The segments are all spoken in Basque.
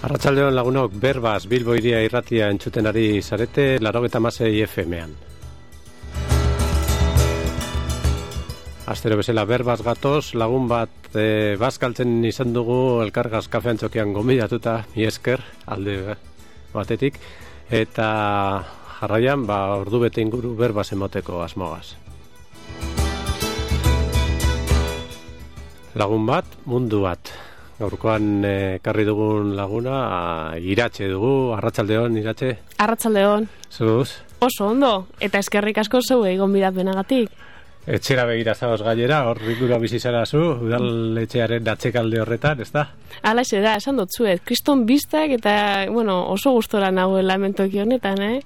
Arratsaldeon lagunok, Berbaz Bilbo Hiria irratia entzuten ari zarete 96 FM-an. Astero bezala Berbaz gatoz, lagun bat bazkaltzen izan dugu Elkargaz kafean txokian gonbidatuta, mi esker, alde batetik, eta jarraian, ordu bete inguru Berbaz emoteko asmogaz. Lagun bat, mundu bat. Gaurkoan ekarri dugun laguna, Iratxe dugu, arratsaldeon, Iratxe. Arratsaldeon. Zuz? Oso ondo, eta eskerrik asko zeuei gonbidapenagatik. Etxera begira zaoz gainera, hor ingurua bizi zara zu, udaletxearen atzekalde horretan, ez da? Halaxe da, esan dut zuet, kriston biztak eta, oso gustora nagoela hementoki honetan,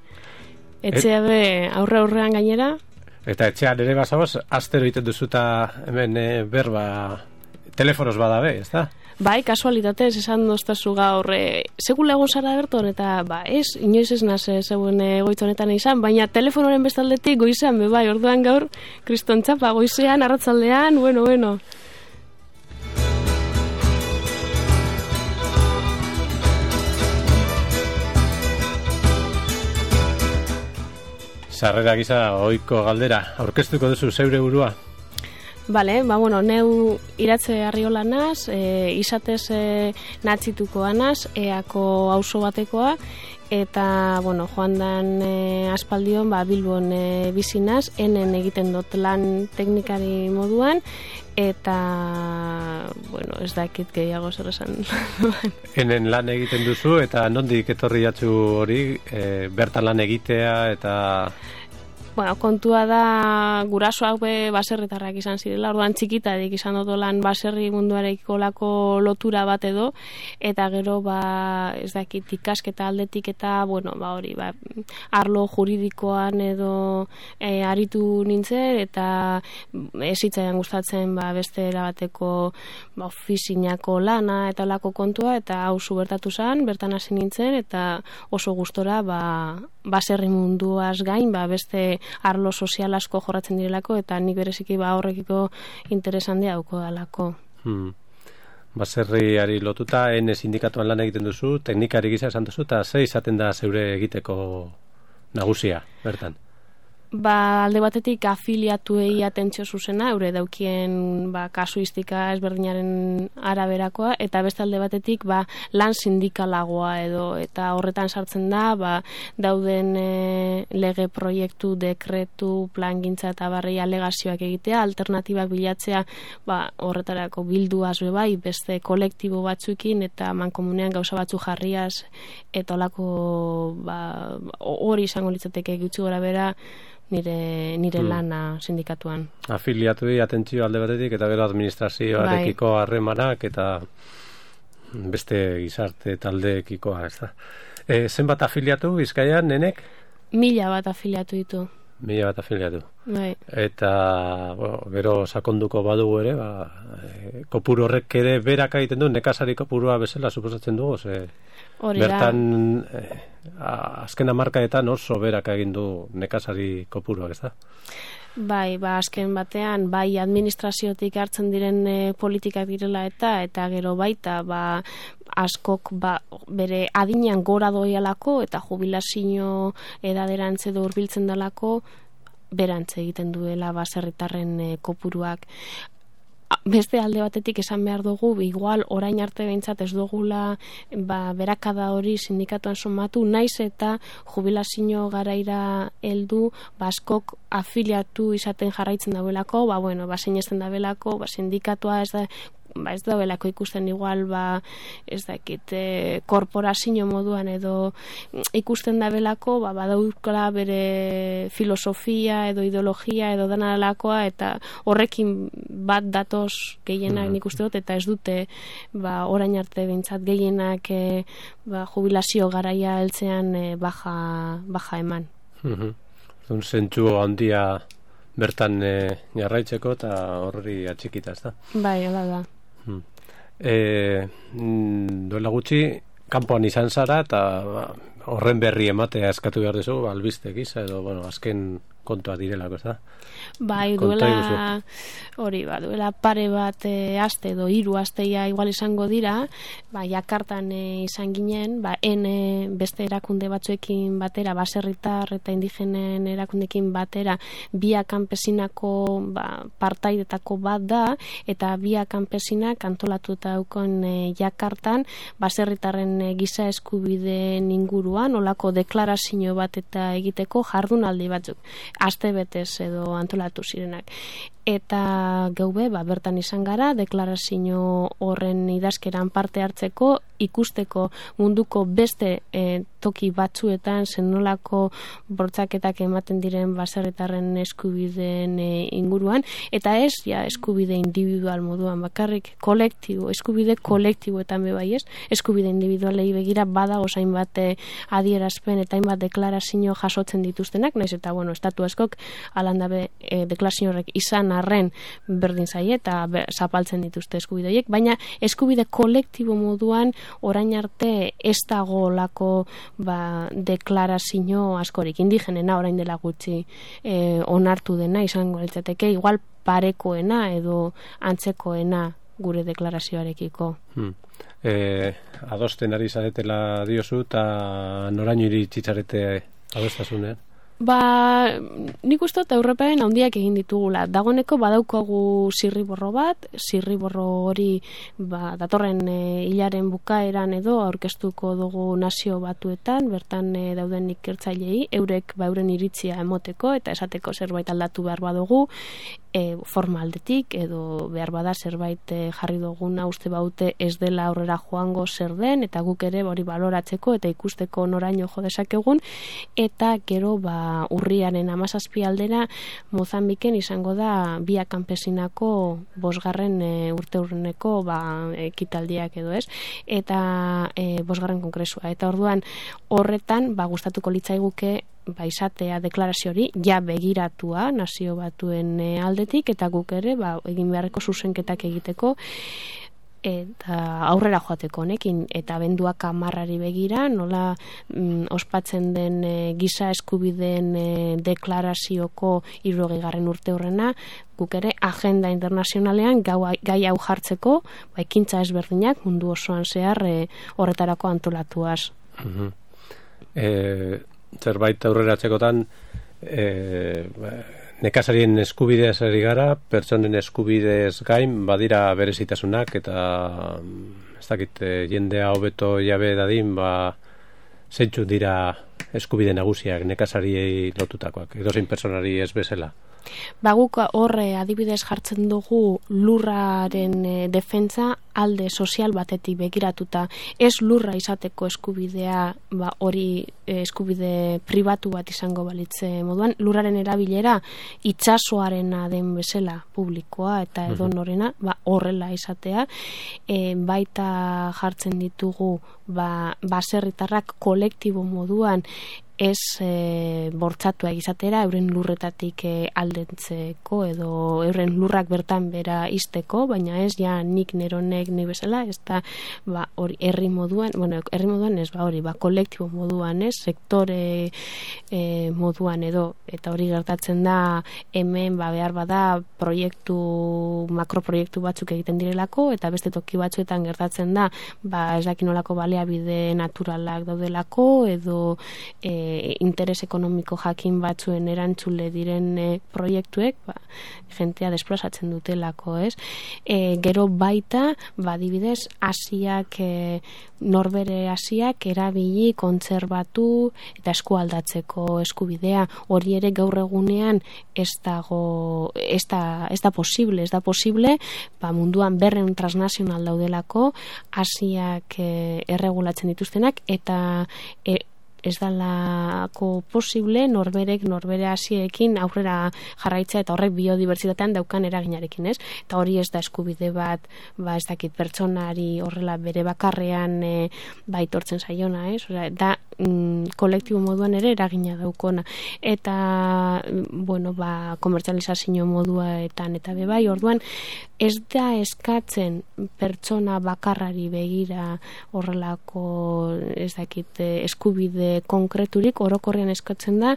Etxea be aurrean gainera. Eta etxean ere bazagoz, astero egiten duzuta hemen berba, telefonoz badabe, ez da? Bai, kasualitatez, esan doztazu gaur, segula egon zara berton, eta inoiz ez naz zeuen goiz honetan izan, baina telefonoren bestaldetik goizean, bai, orduan gaur, kriston txapa, goizean, arratsaldean, bueno. Sarrera gisa, ohiko galdera, aurkeztuko duzu zeure burua? Bale, neu Iratxe Arriola naz, izatez natzituko anaz, eako auzo batekoa, eta, joan dan aspaldion, Bilbon bizinaz, enen egiten dut lan teknikari moduan, eta, ez dakit gehiago zer esan. Enen lan egiten duzu, eta nondik etorri jatzu hori, bertan lan egitea, eta... Kontua da gurasoak baserritarrak izan zirela, orduan txikitarik izan dut lan baserri munduarekiko lako lotura bat edo, eta gero ez dakit ikasketa aldetik eta arlo juridikoan edo aritu nintzen, eta ezitzaian gustatzen beste erabateko ofizinako lana eta lako kontua, eta hau bertatu zen, bertan hasi nintzen, eta oso gustora baserri munduaz gain, beste arlo sozial asko jorratzen direlako, eta nik bereziki horrekiko interes handia dauko dalako. Baserriari lotuta, sindikatuan lan egiten duzu, teknikari gisa esan duzu, eta ze izaten da zeure egiteko nagusia, bertan? Alde batetik afiliatuei atentzio zuzena, eure daukien kasuistika ezberdinaren araberakoa, eta beste alde batetik lan sindikalagoa edo, eta horretan sartzen da, dauden lege proiektu, dekretu, plangintza eta alegazioak egitea, alternatibak bilatzea, horretarako bilduaz beste kolektibo batzuekin, eta mankomunean gauza batzu jarriaz, eta olako hori izango litzateke gutxi gora bera, nire lana sindikatuan. Afiliatuei atentzio alde batetik, eta gero administrazioarekiko harremanak, eta beste gizarte taldeekikoa, ez da. Zenbat afiliatu Bizkaian, nenek? 1000 bat afiliatu ditu. 1000 bat afiliatu. Bai. Eta, gero sakonduko badugu ere, kopuru horrek ere beraka egiten du, nekazari kopurua bezala suposatzen dugu, bertan azken hamarkadetan oso beraka egin du nekazari kopuruak, ez da? Bai, azken batean, administraziotik hartzen diren politikak direla eta gero baita, askok bere adinean gora doialako eta jubilazio edaderantze edo hurbiltzen dalako berantze egiten duela baserritarren kopuruak. Beste alde batetik esan behar dugu, igual orain arte behintzat ez dugula berakada hori sindikatuan somatu, naiz eta jubilazio garaira heldu, askok afiliatu izaten jarraitzen dauelako, sinesten dauelako, sindikatua ez dauelako ikusten igual, ez dakit, korporazio moduan edo ikusten dabelako, badaukala bere filosofia edo ideologia edo dana dalakoa, eta horrekin bat datoz gehienak nik uste dut, eta ez dute orain arte bintzat gehienak jubilazio garaia heltzean baja eman. Zentzu handia bertan jarraitzeko eta horri atxikita, ez da? Bai, hola da. Duela gutxi kanpoan izan zara eta horren berri ematea eskatu behar duzu albiste gisa edo azken kontua direlako, ez da? Bai, duela pare bat aste edo 3 asteia igual izango dira, Jakartan izan ginen, beste erakunde batzuekin batera, baserritar eta indigenen erakundekin batera, Via Campesinako partaidetako bat da, eta Via Campesinak antolatuta daukon Jakartan, baserritarren giza eskubideen inguruan, olako deklarazio bat eta egiteko jardunaldi batzuk, aste betez edo antolatu zirenak. Eta geube, bertan izan gara, deklarazio horren idazkeran parte hartzeko, ikusteko munduko beste toki batzuetan zenolako bortzaketak ematen diren baserritarren eskubideen inguruan, eta ez eskubide individual moduan, bakarrik eskubide kolektiboetan bebai ez, eskubide individualei begira bada osain bat adierazpen eta hainbat deklarazio jasotzen dituztenak, naiz eta estatu askok alandabe deklarazio horrek izan arren berdin zaie eta zapaltzen dituzte eskubide horiek, baina eskubide kolektibo moduan orain arte ez dago lako deklarazio askorik, indigenena orain dela gutxi onartu dena izango litzateke, igual parekoena edo antzekoena gure deklarazioarekiko. Adosten ari zaretela diozu eta noraino iritsitzarete adostasunean? Nik uste dut Europaen handiak egin ditugula. Dagoeneko badaukagu zirriborro bat, zirriborro hori datorren hilaren bukaeran edo aurkeztuko dugu Nazio Batuetan, bertan dauden ikertzailei, eurek euren iritzia emoteko eta esateko zerbait aldatu behar badugu, forma aldetik edo behar bada zerbait jarri duguna uste baute ez dela aurrera joango zer den, eta guk ere hori baloratzeko eta ikusteko noraino jo dezakegun, eta gero urriaren 17 aldera Mozambiken izango da Via Campesinako 5. urteurreneko ekitaldiak edo ez, eta 5. kongresua, eta orduan horretan gustatuko litzaiguke izatea deklarazio hori begiratua Nazio Batuen aldetik, eta guk ere egin beharreko zuzenketak egiteko eta aurrera joateko honekin, eta abenduak 10 begira nola ospatzen den giza eskubideen deklarazioko 60. urteurrena, guk ere agenda internazionalean gai hau jartzeko ekintza ezberdinak mundu osoan zehar horretarako antolatuaz. Zerbait aurreratzekotan nekazarien eskubideaz ari gara, pertsonen eskubidez gain badira berezitasunak, eta ez dakit jendea hobeto jabe dadin zeintzu dira eskubide nagusiak nekazariei lotutakoak, edozein pertsonari ez bezala. Guk horre adibidez jartzen dugu lurraren defentsa alde sozial batetik begiratuta, ez lurra izateko eskubidea hori eskubide pribatu bat izango balitze moduan, lurraren erabilera itsasoarena den bezala publikoa eta edonorena horrela izatea, baita jartzen ditugu baserritarrak kolektibo moduan ez bortzatua izatera euren lurretatik aldentzeko edo euren lurrak bertan bera izteko, baina ez nik neronek ni bezala, ez da hori herri moduan, herri moduan ez kolektibo moduan ez, sektore moduan edo, eta hori gertatzen da hemen behar bada makroproiektu batzuk egiten direlako, eta beste toki batzuetan gertatzen da ez dakinolako baliabide naturalak daudelako edo interes ekonomiko jakin batzuen erantzule diren proiektuek jentea desplazatzen dutelako, ez? Gero baita, adibidez, Asiak, norbere Asiak erabili, kontserbatu eta eskualdatzeko eskubidea, hori ere gaur egunean ez da posible, munduan 200 transnazional daudelako, Asiak erregulatzen dituztenak, eta ez dalako posible norbere Asiekin aurrera jarraitzea, eta horrek biodibertsitatean daukan eraginarekin, ez? Eta hori ez da eskubide bat, ez dakit pertsonari horrela bere bakarrean baitortzen zaiona, ez? Da kolektibo moduan ere eragina daukona. Eta, komertzializazio moduetan eta bebai, orduan, ez da eskatzen pertsona bakarrari begira horrelako eskubide konkreturik, orokorrean eskatzen da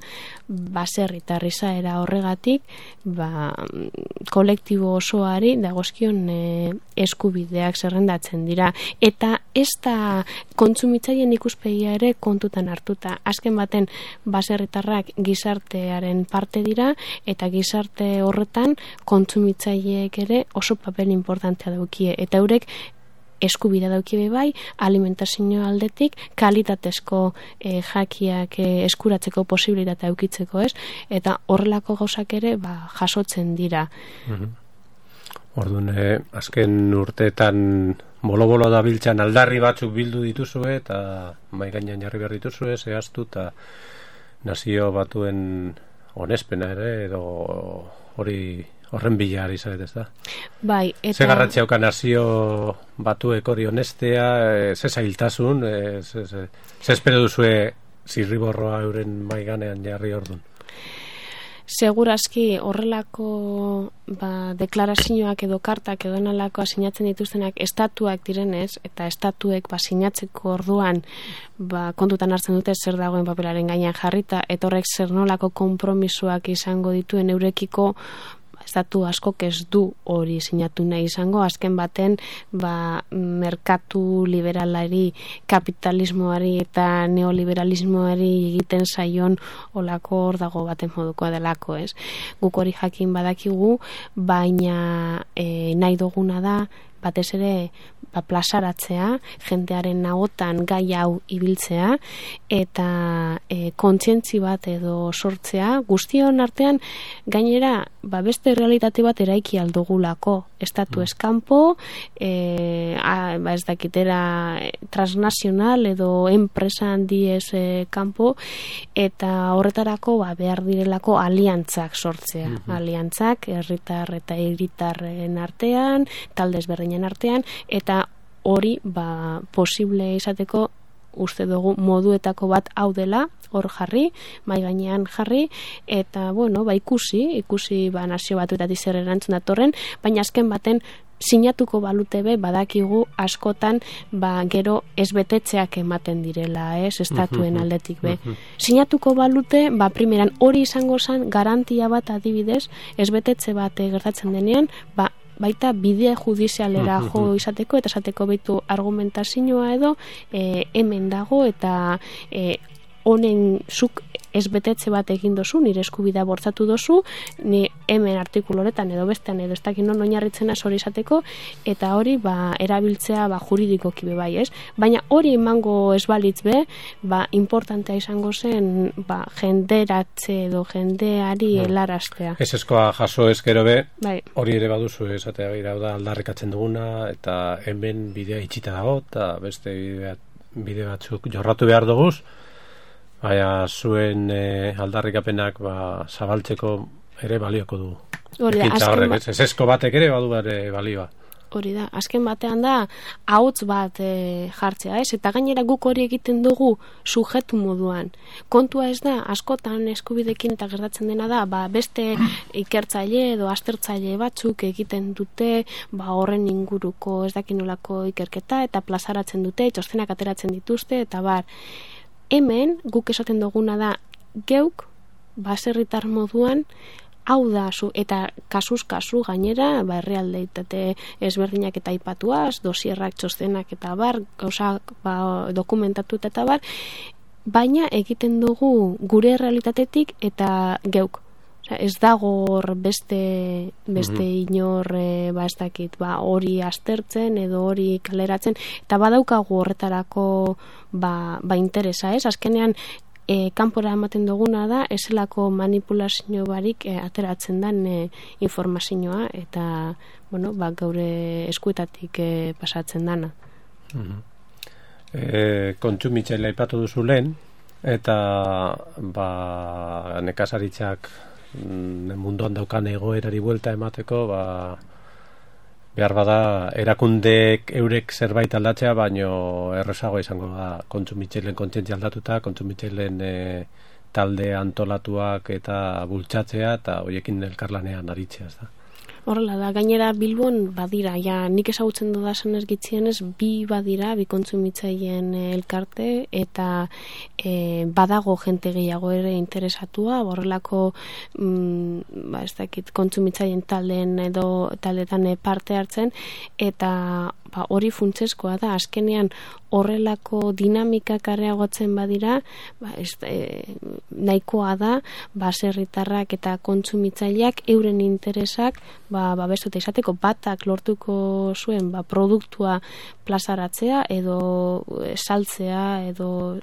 baserritar izaera horregatik kolektibo osoari dagozkion eskubideak zerrendatzen dira, eta ez da kontsumitzaileen ikuspegia ere kontutan hartuta. Azken baten baserritarrak gizartearen parte dira, eta gizarte horretan kontsumitzaileek ere oso papel importantea daukie, eta eurek eskubidea daukie bai, alimentazio aldetik kalitatezko jakiak eskuratzeko posibilitatea edukitzeko, ez? Eta horrelako gauzak ere jasotzen dira. Orduan, azken urteetan bolo-bolo dabiltzan aldarri batzuk bildu dituzue eta mai gainean jarri behar dituzue, zehaztu eta nazio batuen onespena ere, edo horren bila ari zaret, ez da? Bai, eta... Ze garrantzia hauka nazio batuek hori honestea, ze zailtasun, ze espero duzue zirriborroa euren mai ganean jarri ordun? Segurazki horrelako deklarazioak edo kartak edo nalakoa sinatzen dituztenak estatuak direnez, eta estatuek sinatzeko orduan kontutan hartzen dute zer dagoen papelaren gainean jarrita, eta horrek zer nolako konpromisoak izango dituen eurekiko, estatu askok ez du hori sinatu nahi izango, azken baten merkatu liberalari, kapitalismoari eta neoliberalismoari egiten zaion olako hor dago baten modukoa delako, ez? Guk hori jakin badakigu, baina nahi duguna da batez ere plazaratzea, jendearen nagotan gai hau ibiltzea, eta kontzientzi bat edo sortzea, guztion artean gainera beste realitate bat eraiki aldugulako, estatu eskampo, ez dakitera transnazional edo enpresa handiez kanpo, eta horretarako behar direlako aliantzak sortzea, aliantzak herritar eta hiritarren artean, talde ezberdinen artean, eta hori posible izateko uste dugu moduetako bat hau dela, hor jarri, mai gainean jarri, eta ikusi nazio batuetatik zer erantzun datorren, baina azken baten sinatuko balute badakigu askotan gero ezbetetzeak ematen direla, estatuen aldetik sinatuko balute, primeran hori izango zen garantia bat adibidez, ezbetetze bat gertatzen denean, baita bide judizialera jo izateko, eta esateko beitu argumentazioa edo hemen dago, eta honen zuk ezbetetze bat egin dozu, nire eskubidea bortzatu dozu, ni hemen artikulu horretan edo bestean edo ez dakin non oinarritzen hori izateko, eta hori erabiltzea juridikoki bai, ez? Baina hori emango ez balitz importantea izango zen jenderatze edo jendeari helaraztea. Ez eskoa jaso ezkero hori ere baduzu esatea gira da aldarrikatzen duguna, eta hemen bidea itxita dago, eta beste bide batzuk jorratu behar duguz, baina zuen aldarrikapenak zabaltzeko ere balioko du. Ez esko batek ere badu balioa. Hori da, azken batean da ahots bat jartzea, ez? Eta gainera guk hori egiten dugu sujetu moduan. Kontua ez da, askotan eskubidekin eta gertatzen dena da, beste ikertzaile edo aztertzaile batzuk egiten dute, horren inguruko ez dakinolako ikerketa, eta plazaratzen dute, txostenak ateratzen dituzte, eta hemen guk esaten duguna da geuk baserritar moduan hau da eta kasuz kasu gainera herrialdeitate ezberdinak eta aipatuaz, dosierrak, txostenak eta gauzak dokumentatu eta baina egiten dugu gure realitatetik eta geuk. Ez dago hor beste inor ez dakit hori aztertzen edo hori kaleratzen, eta badaukagu horretarako interesa, ez? Azkenean kanpora ematen duguna da ezelako manipulazio barik ateratzen den informazioa, eta gaure eskuetatik pasatzen dana. Kontsumitzailea aipatu duzu lehen, eta nekazaritzak munduan daukan egoerari buelta emateko behar bada erakundeek eurek zerbait aldatzea, baino errezagoa izango da kontsumitzaileen kontzientzia aldatuta, kontsumitzaileen talde antolatuak eta bultzatzea, eta horiekin elkarlanean aritzea, ez da? Horrela da, gainera Bilbon badira, ja nik ezagutzen dudasen ez gitzienez, bi badira, bi kontsumitzaileen elkarte, eta badago jente gehiago ere interesatua, horrelako ez dakit, kontsumitzaileen taldeetan parte hartzen, eta hori funtsezkoa da, azkenean horrelako dinamikak areagotzen badira, nahikoa da, baserritarrak eta kontsumitzaileak euren interesak babestuta izateko, batak lortuko zuen produktua plazaratzea edo saltzea edo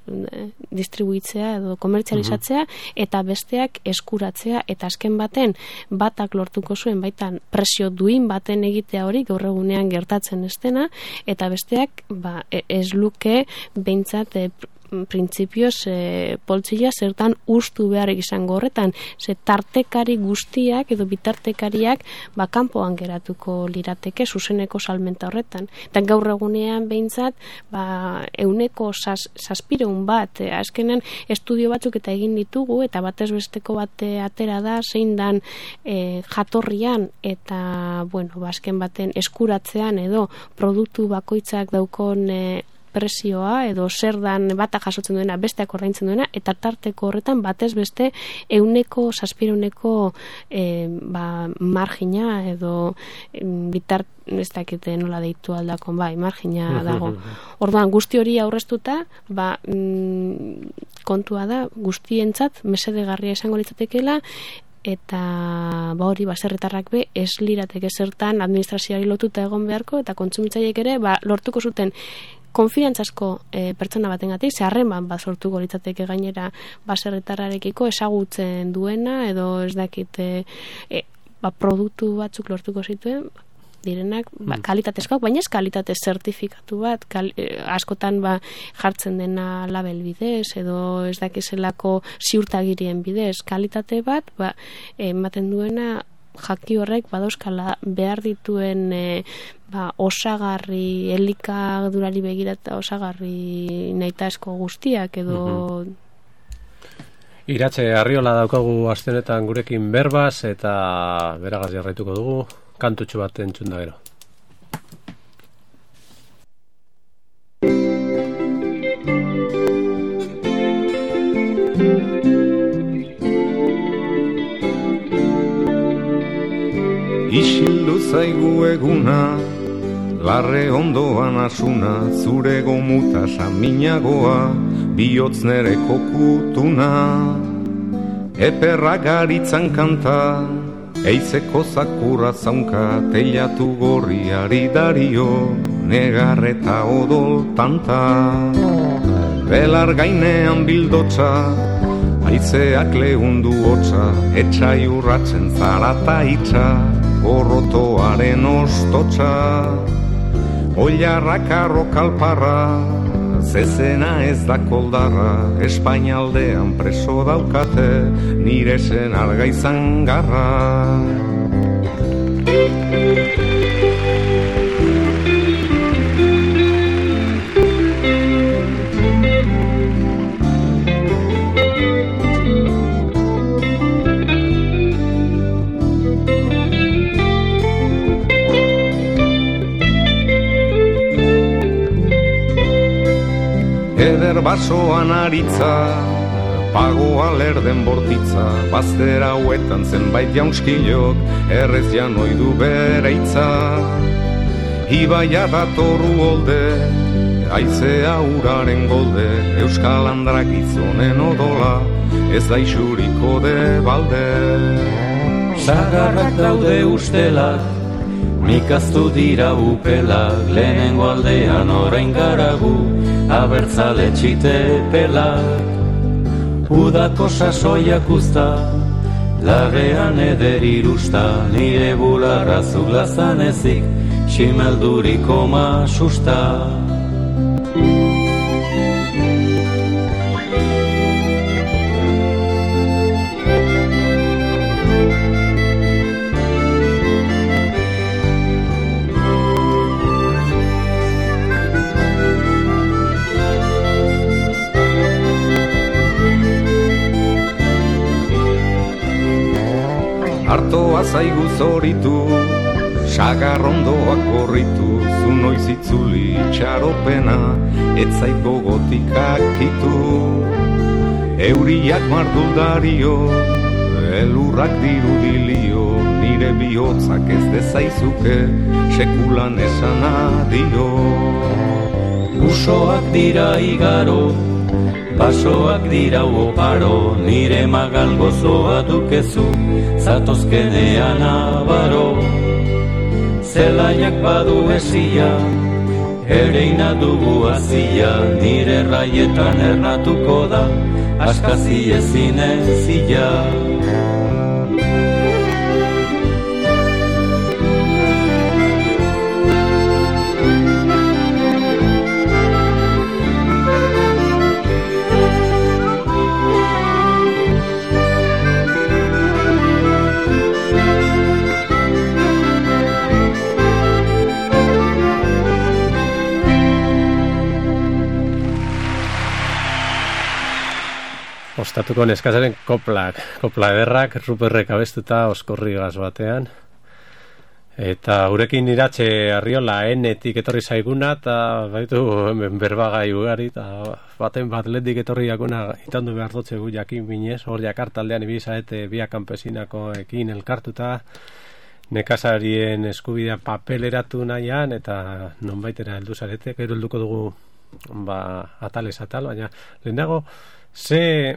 distribuitzea edo komertzializatzea, eta besteak eskuratzea, eta azken baten batak lortuko zuen baitan presio duin baten egitea hori gaur egunean gertatzen ez dena, eta besteak ez luke behintzat printzipioz poltsila zertan ustu behar izango horretan, ze tartekari guztiak edo bitartekariak kanpoan geratuko lirateke zuzeneko salmenta horretan. Eta gaur egunean behintzat 107 bat, azkenean estudio batzuk eta egin ditugu, eta batez besteko bat atera da, zein dan jatorrian eta azken baten eskuratzean edo produktu bakoitzak daukon presioa edo zer dan batak jasotzen duena, besteak ordaintzen duena, eta tarteko horretan batez beste 107 margina edo ez dakite nola deitu aldakon, margina dago. Orduan guzti hori aurreztuta, kontua da guztientzat mesedegarria izango litzatekeela, eta hori baserritarrak ez lirateke zertan administrazioari lotuta egon beharko, eta kontsumitzaileek ere lortuko zuten konfiantzazko pertsona batengatik, harreman sortuko litzateke gainera baserritarrarekiko ezagutzen duena, edo ez dakit produktu batzuk lortuko zituen direnak kalitatezkoak, baina ez kalitate zertifikatu bat, askotan jartzen dena label bidez edo ez dakizelako ziurtagirien bidez, kalitate bat ematen duena jaki horrek badauzkala behar dituen osagarri, elikadurari begirata osagarri nahitaezko guztiak edo... Iratxe Arriola daukagu astenetan gurekin berbaz, eta beragaz jarraituko dugu, kantutxo bat entzun da gero. Isildu zaigu eguna, larre ondoan asuna, zure gomuta saminagoa, bihotz nere kokutuna. Eperra garitzan kanta, eizeko zakurra zaunka, teilatu gorriari dario, negarreta odol tanta. Belar gainean bildotza, aizeak lehundu hotza, etxai urratzen zarata itxa, gorrotoaren ostotxa. Oilarrak arrokalparra, zezena ez da koldarra, Espainialdean preso daukate, nire zen arga izan garra. Eder basoan aritza, pagoa lerden bortitza, bazter hauetan zenbait jaunskilok, errez janoidu bere itza. Ibaia datorru holde, aizea uraren golde, Euskal Andrak gizonen odola, ez da isuriko de balde. Zagarrak daude ustelak, mikaztu dira upelak, lehenengo aldean orain garagu, abertzale txite pelak. Udako sasoiak usta, lagean eder irusta, nire bularra zuglazan ezik, ximelduriko masusta. Artoa zaigu zoritu, sagarrondoak gorritu, zu noiz itzuli itxaropena, etzait gogotik akitu. Euriak marduldario, elurrak dirudilio, nire bihotzak ez dezaizuke, sekulan esan adio. Usoak dira igaro, basoak dira oparo, nire magal gozoa dukezu, zatozkenean abaro. Zelaiak badu esia, ereina dugu azia, nire raietan ernatuko da, askazi ezin ezia. Ostatuko neskazaren kopla ederrak, Ruperrek abestuta oskorri gaz batean. Eta urekin iratxe Arriola enetik etorri zaiguna, eta baitu berbagai ugari, eta baten bat lehendik etorri jakuna itandu behar dutze gu jakin binez, hor jakartaldean ibizaete biak kanpesinakoekin elkartuta, nekazarien eskubidea papeleratu nahian, eta nonbaitera heldu zarete, gero helduko dugu atalez atal, baina lehenago, ze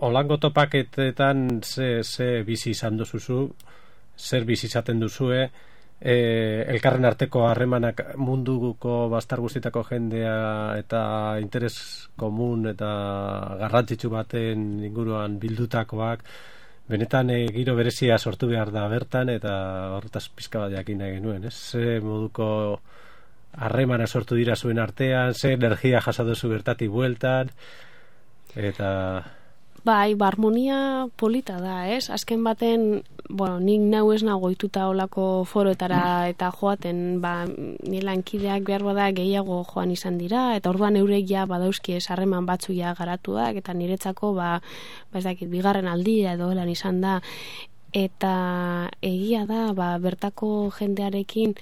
olango topaketetan ze bizi izan duzuzu, zer bizi izaten duzue, elkarren arteko harremanak munduko bastar guztietako jendea eta interes komun eta garrantzitsu baten inguruan bildutakoak, benetan giro berezia sortu behar da bertan, eta horretaz pizka bat jakin nahi genuen, ze moduko harremana sortu dira zuen artean, ze energia jasatu zu bertatik bueltan, eta... Bai, harmonia polita da, Azken baten, nik nau ez nago ituta olako foroetara eta joaten, nire lankideak behar bada gehiago joan izan dira, eta orduan eurek ja badauzki harreman batzu ja garatuak, eta niretzako, ez dakit, bigarren aldia edo helan izan da, eta egia da, bertako jendearekin,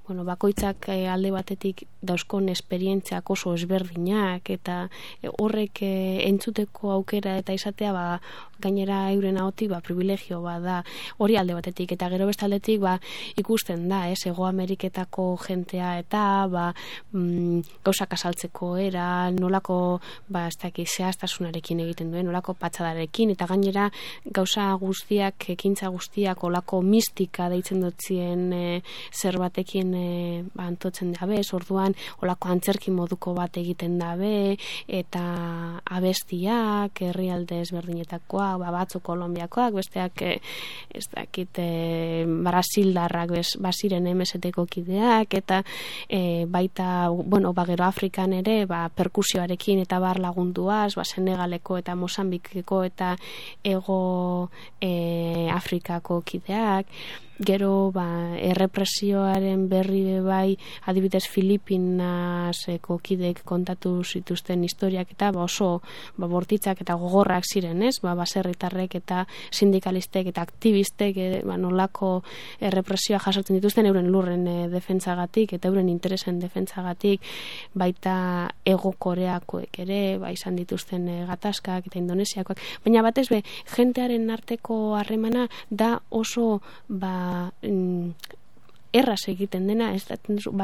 bakoitzak alde batetik dauzkon esperientziak oso ezberdinak, eta horrek entzuteko aukera eta izatea gainera euren ahotik privilegio da, hori alde batetik, eta gero bestaldetik ikusten da, Hego Ameriketako jentea eta gauzak azaltzeko era, nolako ez dakit zehaztasunarekin egiten duen, nolako patxadarekin, eta gainera gauza guztiak, ekintza guztiak olako mistika deitzen dutzien zer batekin antotzen dabe, orduan olako antzerki moduko bat egiten dabe, eta abestiak, herrialde ezberdinetakoak, batzu Kolonbiakoak, besteak ez dakit Brasildarrak baziren MST-ko kideak, eta baita, gero Afrikan ere, perkusioarekin eta bar lagunduaz, Senegaleko eta Mozambikeko eta Ego Afrikako kideak, gero errepresioaren berri adibidez Filipinaseko kideek kontatu zituzten historiak eta oso bortitzak eta gogorrak ziren, baserritarrek eta sindikalistek eta aktivistek nolako errepresioa jasotzen dituzten euren lurren defentsagatik eta euren interesen defentsagatik, baita Ego Koreakoek ere izan dituzten gatazkak eta Indonesiakoak, baina batez jentearen arteko harremana da oso erraz egiten dena,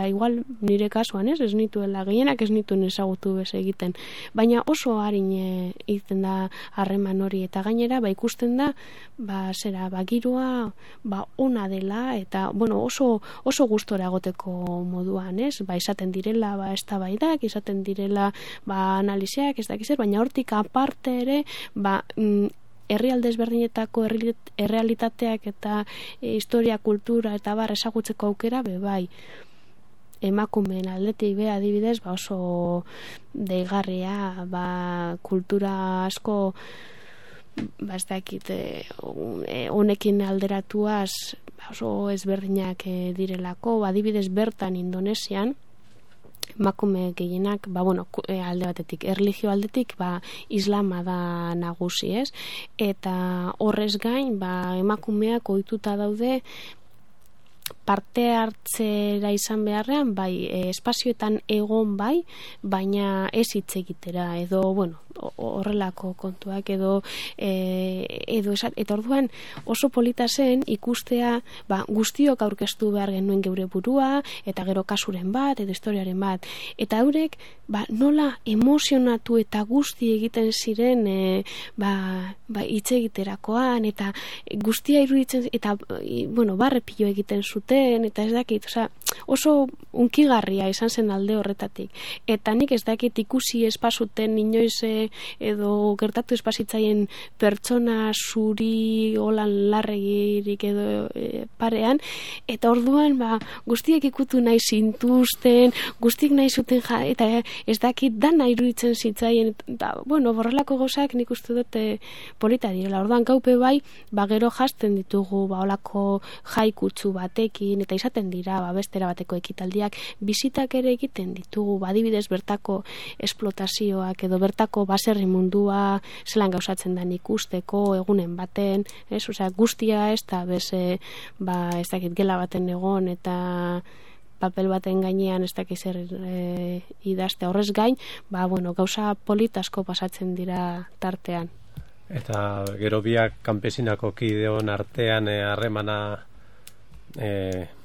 igual nire kasuan ez nituela, gehienak ez nituen ezagutu bez egiten, baina oso harin egiten da harreman hori, eta gainera ikusten da giroa ona dela, eta oso gustora egoteko moduan, izaten direla eztabaidak, izaten direla analiziak, ez dakiz, baina hortik aparte ere herrialde ezberdinetako errealitateak eta historia, kultura eta ezagutzeko aukera bai. Emakumeen aldetik adibidez oso deigarria, kultura asko ez dakit honekin alderatuaz oso ezberdinak direlako, adibidez bertan Indonesian emakume gehienak, alde batetik, erlijio aldetik, islama da nagusi, eta horrez gain, emakumeak ohituta daude parte hartzera izan beharrean, bai, espazioetan egon bai, baina ez hitz egitera, edo, bueno, horrelako kontuak, edo eta orduan oso polita zen ikustea, guztiok aurkeztu behar genuen geure burua, eta gero kasuren bat, edo historiaren bat, eta haurek, nola emozionatu eta guzti egiten ziren, hitz egiterakoan, eta guztia iruditzen, eta, bueno, barrepilo egiten zuten, eta ez dakit, oso unkigarria izan zen alde horretatik. Eta nik ez dakit ikusi espazuten inoiz edo gertatu espazitzaien pertsona zuri holan larregirik edo parean, eta orduan guztiek ikutu nahi zintuzten, guztiek nahi zuten eta ez dakit dana iruditzen zitzaien, eta, bueno, borrelako gauzak nik uste dute polita direla. Orduan gaupe bai, gero jazten ditugu holako jaikutsu batekin, eta izaten dira bestera bateko ekitaldiak, bizitak ere egiten ditugu, adibidez bertako esplotazioak edo bertako baserri mundua zelan gauzatzen den ikusteko egunen baten, guztia ez da ez dakit gela baten egon eta papel baten gainean ez dakiz idazte horrez gain, gauza politasko pasatzen dira tartean. Eta gero biak kanpesinako kideon artean harremana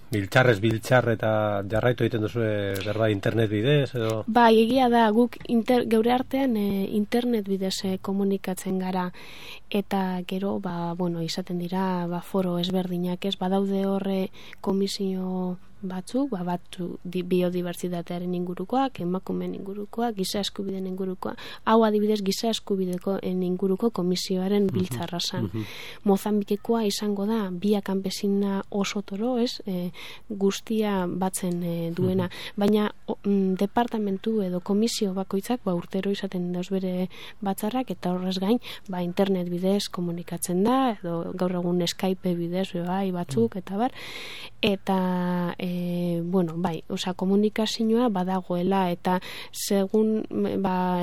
biltzarrez biltzar eta jarraitu egiten duzu berba internet bidez edo? Egia da, guk geure artean internet bidez komunikatzen gara, eta gero izaten dira foro ezberdinak, ez badaude horre komisio batzuk, biodibertsitatearen ingurukoak, emakumeen ingurukoak, giza eskubideen ingurukoak, hau adibidez giza eskubideko inguruko komisioaren biltzarra zan. Mozambikekoa izango da, bia kanpesina oso toro, ez, guztia batzen duena, baina departamentu edo komisio bakoitzak urtero izaten dauz bere batzarrak, eta horrez gain, internet bidez komunikatzen da, edo gaur egun Skype bidez batzuk, eta bar, eta komunikazioa badagoela, eta segun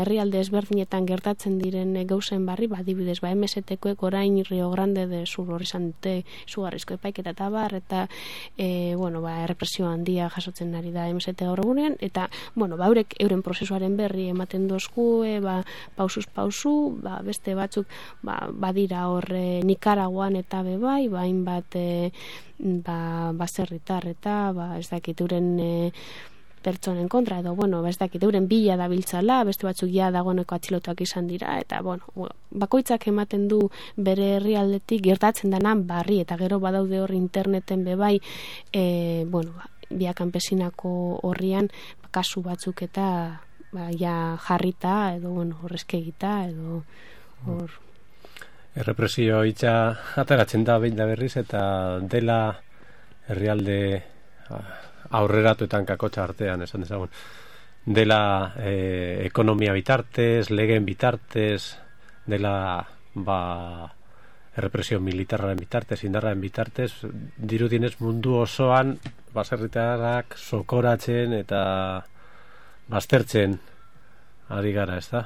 herrialde ezberdinetan gertatzen diren gauzen barri, adibidez, MST-koek orain Rio Grande de Sur hori izan dute izugarrizko epaiketa eta bar, eta errepresio handia jasotzen ari da MST gaur egunean, eta haurek euren prozesuaren berri ematen dozkue, pausuz pausu, beste batzuk badira hor Nikaraguan eta bebai, hainbat baserritar eta ez dakit euren pertsonen kontra, edo, ez dakit euren bila dabiltzala, beste batzuk ja dagoeneko atxilotuak izan dira, eta, bakoitzak ematen du bere herrialdetik gertatzen denan barri, eta gero badaude hor interneten bebai, bia kanpesinako horrian kasu batzuk eta jarrita, edo, horrezkegita, edo, hor... Errepresio hitza ateratzen da behin da berriz, eta dela herrialde aurreratuetan kakotxa artean, esan dezagun, dela ekonomia bitartez, legeen bitartez, dela errepresio militarraren bitartez, indarraren bitartez, dirudienez mundu osoan baserritarrak sokoratzen eta baztertzen ari gara, ez da?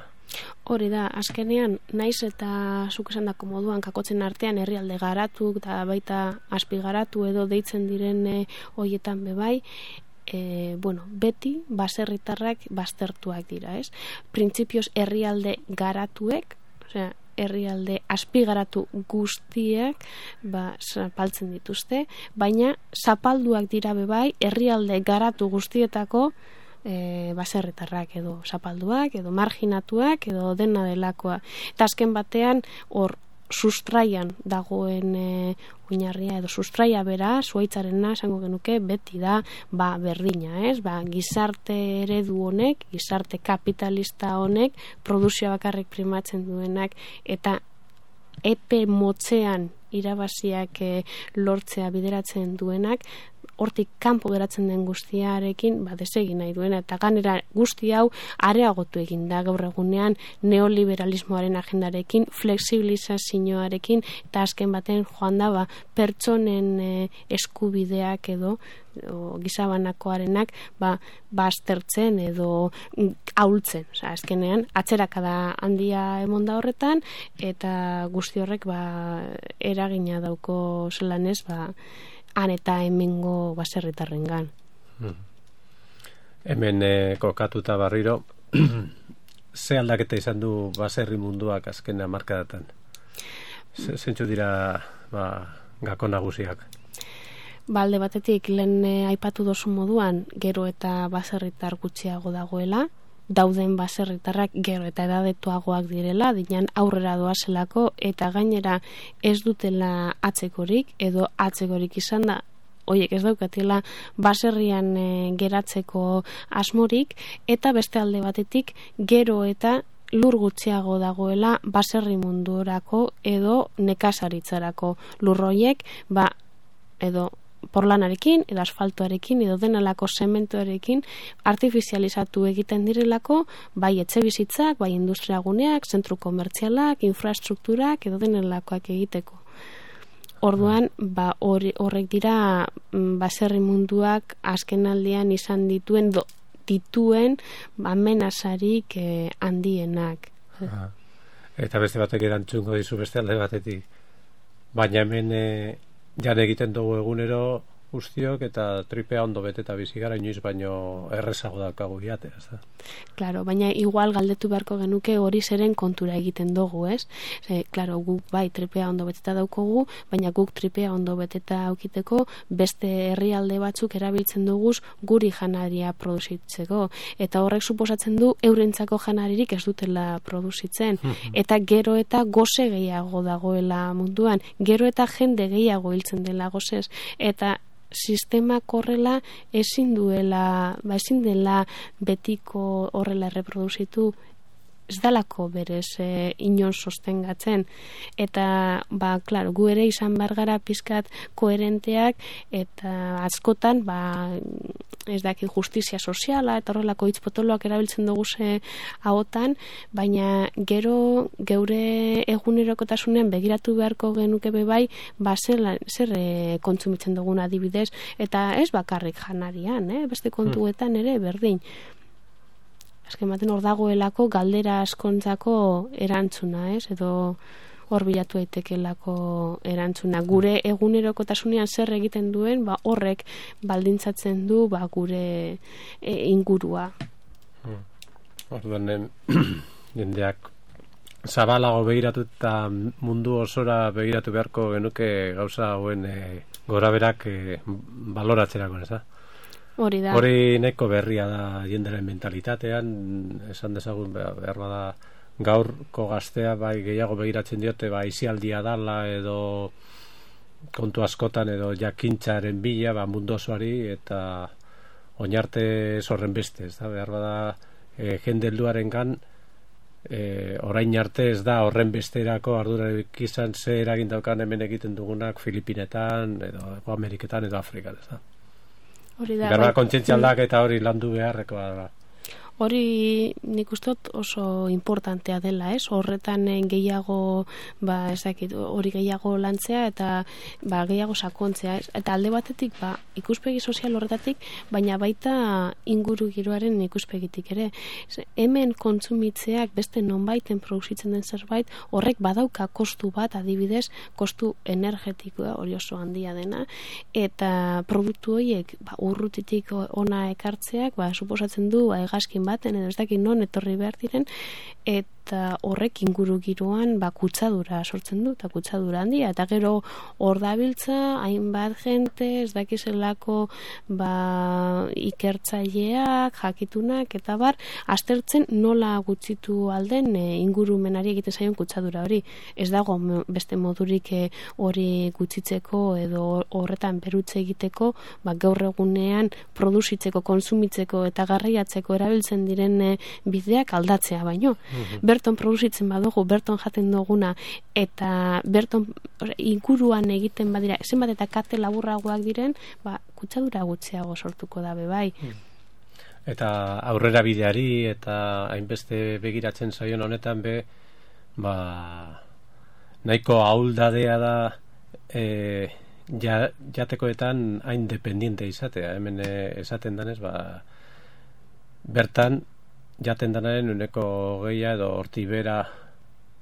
Hori da, azkenean, naiz eta zuk esan dako moduan kakotzen artean herrialde garatu eta baita azpigaratu edo deitzen diren hoietan bebai, beti baserritarrak baztertuak dira, ez? Printzipioz herrialde garatuek, herrialde azpigaratu guztiek zapaltzen dituzte, baina zapalduak dira bebai herrialde garatu guztietako baserritarrak edo zapalduak, edo marginatuak, edo dena delakoa. Eta azken batean, hor sustraian dagoen oinarria, edo sustraia bera, zuaitzarena, esango genuke, beti da, berdina, ez? Gizarte eredu honek, gizarte kapitalista honek, produzioa bakarrik primatzen duenak, eta epe motzean irabaziak lortzea bideratzen duenak, hortik kanpo geratzen den guztiarekin desegin nahi duena, eta ganera guzti hau areagotu egin da gaur egunean neoliberalismoaren agendarekin, flexibilizazioarekin, eta azken baten joan da pertsonen eskubideak edo gizabanakoarenak baztertzen edo ahultzen. Azkenean atzerakada handia emon da horretan, eta guzti horrek eragina dauko zelan ez han eta hemengo baserritarrengan. Hemen kokatuta berriro, ze aldaketa izan du baserri munduak azken hamarkadatan? Zentzu dira gako nagusiak? Alde batetik, lehen aipatu dozu moduan, gero eta baserritar gutxiago dagoela, dauden baserritarrak gero eta edadetuagoak direla, dinan aurrera doazelako, eta gainera ez dutela atzekorik, edo atzekorik izan da, oiek ez daukatela baserrian geratzeko asmorik, eta beste alde batetik, gero eta lur gutxiago dagoela baserri mundurako edo nekazaritzarako lurroiek, edo porlanarekin, edo asfaltoarekin, edo denalako zementoarekin artifizializatu egiten direlako, bai etxebizitzak, bai industriaguneak, zentru komertzialak, infrastrukturak, edo denalakoak egiteko. Orduan, horrek dira baserri munduak azken aldean izan dituen amenazarik handienak. Eta beste batek erantzungo dizu beste alde batetik. Baina hemen jan egiten dugu egunero guztiok eta tripea ondo beteta bizi gara, inoiz baino errezago daukagu jatea, ez da? Claro, baina igual galdetu beharko genuke hori zeren kontura egiten dugu, ez? Claro, guk bai tripea ondo beteta daukogu, baina guk tripea ondo beteta aukiteko beste herrialde batzuk erabiltzen duguz guri janaria produzitzeko, eta horrek suposatzen du eurentzako janaririk ez dutela produzitzen, eta gero eta goze gehiago dagoela munduan, gero eta jende gehiago hiltzen dela gozez, eta sistema horrela ezin dela betiko horrela reproduzitu, ez dalako berez inon sostengatzen, eta claro, gu ere izan behar gara pizkat koherenteak, eta askotan ez daki justizia soziala eta horrelako hitz potoloak erabiltzen dugu ahotan, baina gero geure egunerokotasunean begiratu beharko genuke bai, zer kontsumitzen dugun adibidez, eta ez bakarrik janarian, beste kontuetan ere berdin. Azken baten hor dagoelako galdera askontzako erantzuna, edo hor bilatu daitekelako erantzuna. Gure egunerokotasunean zer egiten duen, horrek baldintzatzen du gure ingurua. Orduan, jendeak zabalago begiratu eta mundu osora begiratu beharko genuke gauza hauen goraberak baloratzerako, ez da? Hori nahiko berria da jenderen mentalitatean, esan dezagun behar bada gaurko gaztea bai gehiago begiratzen diote isialdia dala edo kontu askotan edo jakintzaren bila mundu osoari, eta oinarte zorren beste, ez da, behar bada jende helduarengan orain arte ez da horren besterako ardurarik izan ze eragin daukan hemen egiten dugunak Filipinetan edo Ameriketan edo Afrikan, ez da. Garba kontzientzia aldaketa hori landu beharrekoa da. Hori nik ustot oso importantea dela, ez? Horretan gehiago, hori gehiago lantzea eta gehiago sakontzea, ez? Eta alde batetik, ikuspegi sozial horretatik, baina baita inguru giroaren ikuspegitik ere. Hemen kontsumitzeak beste nonbaiten produzitzen den zerbait, horrek badauka kostu bat, adibidez, kostu energetikoa hori oso handia dena, eta produktu horiek urrutitik ona ekartzeak, suposatzen du hegazkin baten edo ez dakit non etorri behar diren, eta horrek inguru giroan kutsadura sortzen du, eta kutsadura handia, eta gero hor dabiltza hainbat jente, ez dakizelako ikertzaileak, jakitunak, eta aztertzen nola gutxitu alden ingurumenari egiten zaion kutsadura hori. Ez dago beste modurik hori gutxitzeko edo horretan berutze egiteko, gaur egunean produzitzeko, konsumitzeko eta garraiatzeko erabiltzen diren bideak aldatzea baino. Berton produzitzen badugu, berton jaten duguna, eta berton inguruan egiten badira, zenbat eta kate laburragoak diren, kutsadura gutxiago sortuko da bai. Eta aurrera bideari eta hainbeste begiratzen zaion honetan nahiko ahuldadea da jatekoetan hain dependiente izatea. Hemen esaten danez, bertan jaten danaren uneko gehia edo horti bera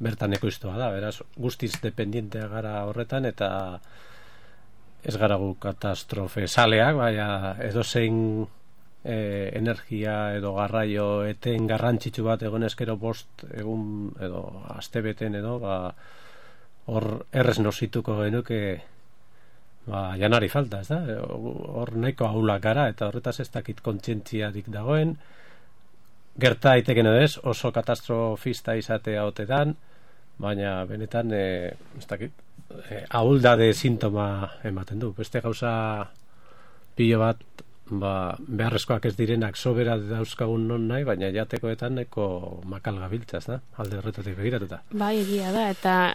bertan ekoiztua da, beraz guztiz dependientea gara horretan, eta ez gara gu katastrofe saleak, baina edozein energia edo garraio eten garrantzitsu bat egon eskero 5 egun edo astebeten edo hor errez nosituko genuke janari falta, ez da? Hor nahiko ahulak gara eta horretaz ez dakit kontzientziarik dagoen, gerta daiteken edo ez, oso katastrofista izatea otetan, baina benetan ez dakit ahuldade sintoma ematen du. Beste gauza pilo bat beharrezkoak ez direnak sobera dauzkagun non nahi, baina jatekoetan neko makal gabiltza, ez da? Alde horretatik begiratuta. Bai, egia da, eta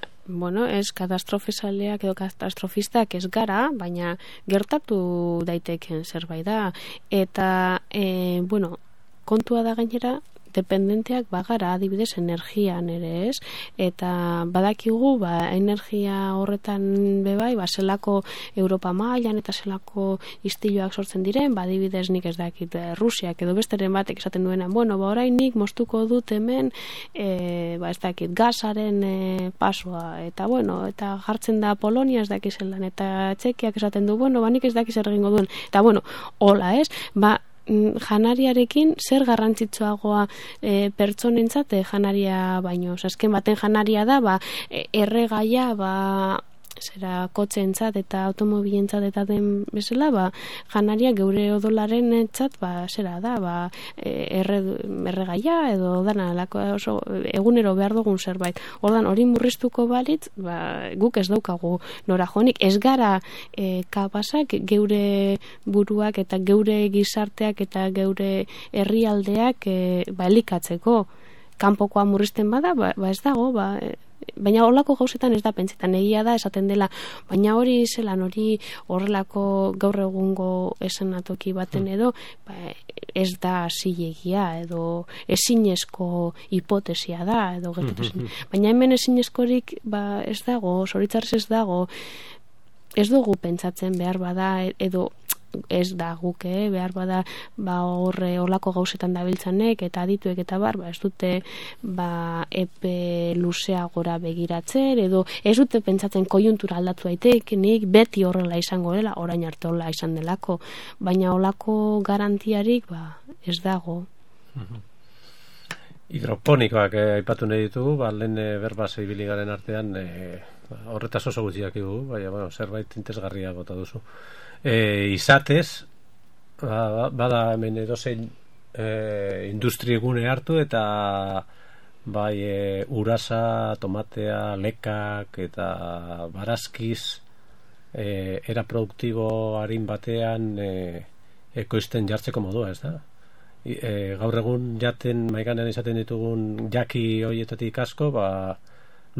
ez katastrofisaleak edo katastrofistak ez gara, baina gertatu daiteken zerbait da. Eta, kontua da gainera, dependenteak bagara adibidez energian ere, ez? Eta badakigu energia horretan bebai, zelako Europa mailan eta zelako istiloak sortzen diren, adibidez nik ez dakit Rusiak edo besteren batek esaten duena, orain nik moztuko dut hemen ez dakit gasaren pasoa, eta eta jartzen da Polonia ez dakiz zelan, eta Txekiak esaten du, nik ez dakiz zer egingo duen, eta hola, ez? Janariarekin zer garrantzitsuagoa pertsonentzat janaria baino. Azken baten janaria da erregaia zera kotxeentzat eta automobilentzat eta den bezala janaria geure odolaren entzat zera da erregaia edo dana oso egunero behar dugun zerbait. Ordan hori murriztuko balitz guk ez daukagu nora jonik, ez gara kapasak geure buruak eta geure gizarteak eta geure herrialdeak elikatzeko. Kanpokoa murrizten bada ez dago baina horlako gauzetan ez da pentsetan, egia da esaten dela, baina hori zelan hori horrelako gaur egungo esanatoki baten edo ez da zilegia edo ezinezko hipotesia da edo gertatu. Baina hemen ezinezkorik ez dago, zoritzarrez ez dago, ez dugu pentsatzen behar bada edo ez da guk, behar bada horlako gauzetan dabiltzanek eta adituek eta ez dute epe luzea gora begiratzen edo ez dute pentsatzen koiuntura aldatu daiteik, nik beti horrela izango dela, orain arte horrela izan delako, baina horlako garantiarik ez dago. Hidroponikoak aipatu nahi ditugu, lehen berba ibili garen artean horretaz oso gutxiak dugu, baina zerbait interesgarria bota duzu. Izatez bada hemen edozein industriegune hartu eta urasa, tomatea, lekak eta barazkiz era produktibo harin batean ekoizten jartzeko modua, ez da? Gaur egun jaten maiganean izaten ditugun jaki horietatik asko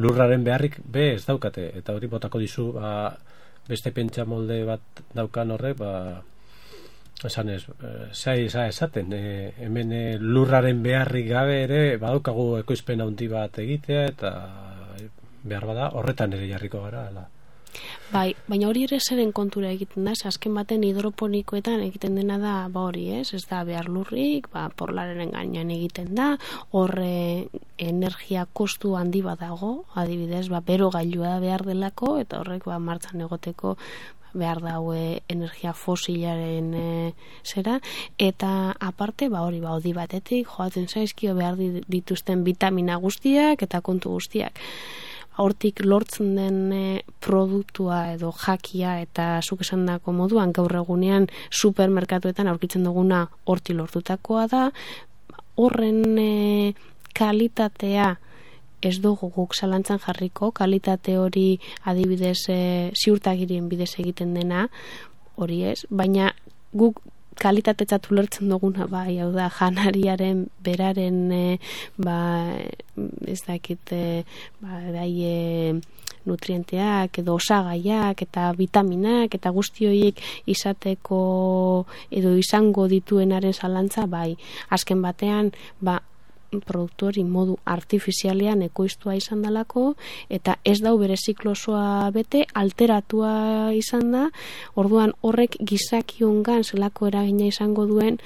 lurraren beharrik ez daukate, eta hori botako dizu beste pentsa molde bat daukan horrek esan ez, esaten hemen lurraren beharrik gabe ere badaukagu ekoizpen handi bat egitea eta behar bada horretan ere jarriko gara baina hori ere zeren kontura egiten da, azken baten hidroponikoetan egiten dena da hori, ez da behar lurrik, porlaren gainean egiten da, horre energia kostu handi bat dago, adibidez, bero gailua behar delako, eta horrek martxan egoteko behar daue energia fosilaren zera, eta aparte hori hodi batetik joaten zaizkio behar dituzten vitamina guztiak eta kontu guztiak. Hortik lortzen den produktua edo jakia eta zuk esandako moduan gaur egunean supermerkatuetan aurkitzen duguna hortik lortutakoa da, horren kalitatea ez dugu guk zalantzan jarriko, kalitate hori adibidez ziurtagirien bidez egiten dena, hori ez, baina guk kalitatetzat ulertzen duguna hau da janariaren beraren ez dakit nutrienteak edo osagaiak eta vitaminak eta guzti horiek izateko edo izango dituenaren zalantza azken batean produktu hori modu artifizialean ekoiztua izan dalako eta ez dau bere ziklosoa bete, alteratua izan da, orduan horrek gizakiongan zelako eragina izango duen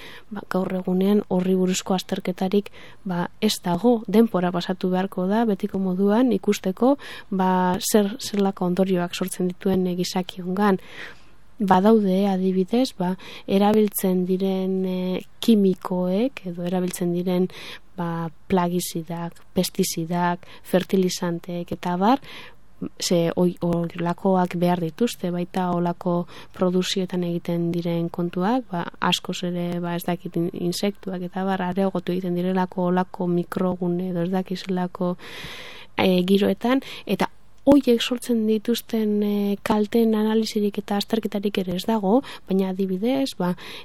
gaur egunean horri buruzko azterketarik ez dago, denpora pasatu beharko da betiko moduan ikusteko zelako ondorioak sortzen dituen gizakiongan. badaude adibidez, erabiltzen diren kimikoek edo erabiltzen diren plagizidak, pestizidak, fertilizanteek eta bar, olakoak behar dituzte, baita olako produzioetan egiten diren kontuak, askoz ere ez dakit insektuak eta bar areagotu egiten direlako olako mikrogune edo ez dakizelako giroetan, eta hoiek sortzen dituzten kalten analizirik eta azterketarik ere ez dago, baina adibidez,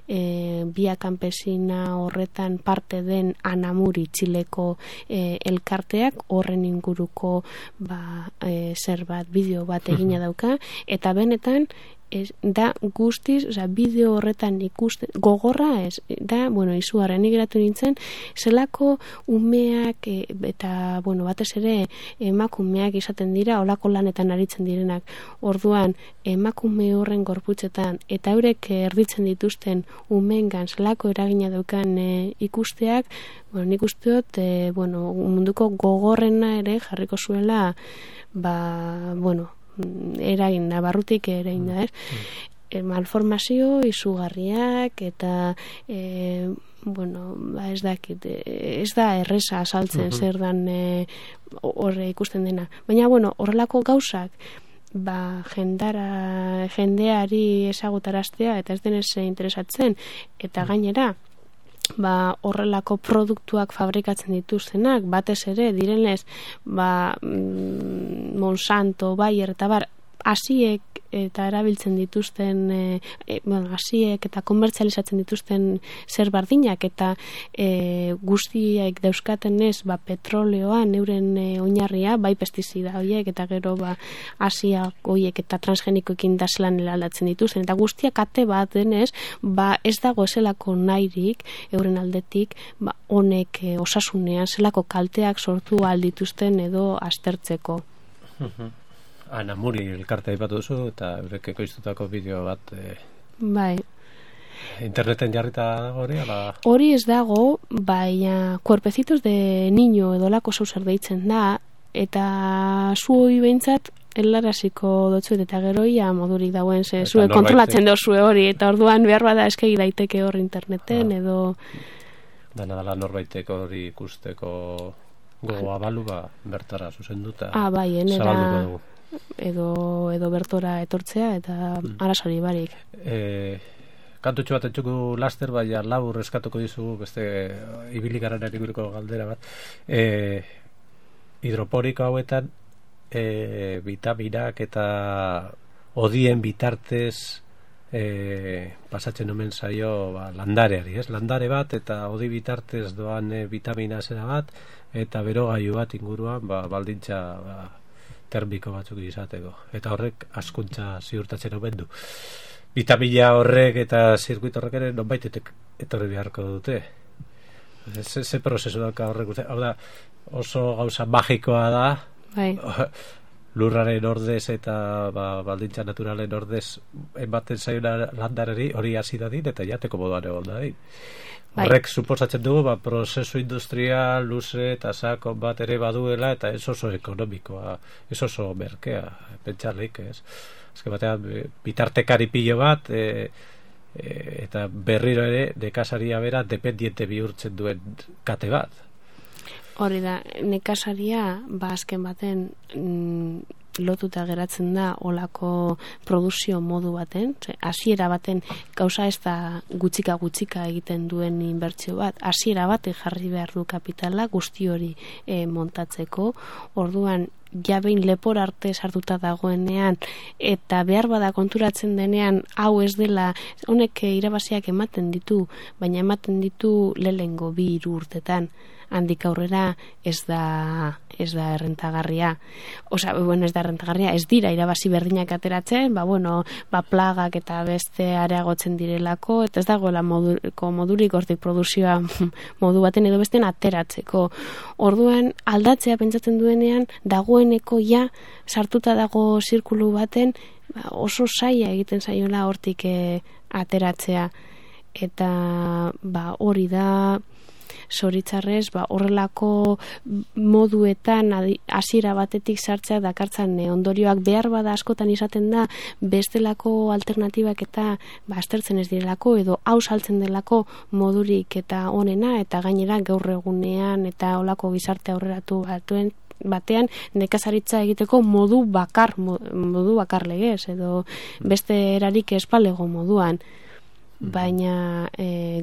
Via Campesina horretan parte den Anamuri Txileko elkarteak horren inguruko zer bat, bideo bat egina dauka, eta benetan da guztiz, bideo horretan ikusten, gogorra ez, da, izugarren geratu nintzen, zelako umeak eta, batez ere emakumeak izaten dira, olako lanetan aritzen direnak, orduan emakume horren gorputzetan, eta eurek erditzen dituzten umeengan zelako eragina daukan ikusteak, nik usteot, munduko gogorrena ere jarriko zuela, eragin, barrutik eragin da, malformazio izugarriak eta ez dakit, ez da erresa asaltzen zer dan horre ikusten dena, baina horrelako gauzak jendeari ezagutaraztea eta ez denez interesatzen eta gainera horrelako produktuak fabrikatzen dituztenak, batez ere direnez Monsanto, Bayer eta bar, hasiek eta erabiltzen dituzten hasiek eta komertzializatzen dituzten zer bardinak eta guztiek dauzkaten ez petroleoan euren oinarria, pestizida horiek eta gero hasiak horiek eta transgenikoekin daslan aldatzen dituzten eta guztiak ate bat denez ez dago ezelako nahirik euren aldetik honek osasunean zelako kalteak sortu aldituzten edo aztertzeko. Anamuri elkarte aipatu duzu eta eurek ekoiztutako bideo bat interneten jarrita dago hori? Hori ez dago, baina Cuerpecitos de Niño edo lako zauzer deitzen da eta zu hori behintzat helaraziko dotzuet eta geroia modurik dauen zue kontrolatzen dozue hori eta orduan behar bada eskegi daiteke hor interneten edo dana dala norbaiteko hori ikusteko gogoa balu bertara zuzenduta zabalduko dugu edo bertora etortzea eta arazori barik. Kantutxo bat entzuko laster, baina labur eskatuko dizugu beste ibilikaren eriguruko galdera bat. Hidroporiko hauetan vitaminak eta odien bitartez pasatzen omen zaio landareari, landare bat eta odi bitartez doan vitamina zera bat eta berogailu bat inguruan baldintza termiko batzuk izateko. Eta horrek askuntza ziurtatzen omen du. Vitamina horrek eta zirkuit horrek ere nonbait etorri beharko dute. Ze prozesu dauka horrek. Hau da, oso gauza magikoa da. Lurraren ordez eta baldintza naturalen ordez ematen zaiona landarari hori hasi dadin eta jateko moduan egon dadin. Horrek suposatzen dugu prozesu industrial luze eta sakon bat ere baduela eta ez oso ekonomikoa, ez oso merkea, pentsarlik, ez? Azken batean, bitartekari pilo bat eta berriro ere nekasaria bera dependiente bihurtzen duen kate bat. Hori da, nekasaria azken baten lotuta geratzen da olako produzio modu baten, hasiera baten gauza ez da gutxika egiten duen inbertsio bat, hasiera batek jarri behar du kapitala guzti hori montatzeko, orduan jabein lepor arte sartuta dagoenean eta behar bada konturatzen denean hau ez dela, honek irabaziak ematen ditu, baina ematen ditu lehengo 2-3 urtetan, handik aurrera ez da errentagarria. Ez da errentagarria, ez dira irabazi berdinak ateratzen, plagak eta beste areagotzen direlako, eta ez dagoela modurik hortik produzioa modu baten edo besten ateratzeko. Orduan aldatzea pentsatzen duenean dagoeneko sartuta dago zirkulu baten oso zaila egiten zaiola hortik ateratzea. Eta hori da zoritzarrez horrelako moduetan hasiera batetik sartzea dakartzan ondorioak behar bada askotan izaten da bestelako alternatibak eta aztertzen ez direlako edo hau saltzen delako modurik eta onena eta gainera gaur egunean eta olako gizarte aurreratu batean nekazaritza egiteko modu bakar legez edo beste erarik espalego moduan. Baina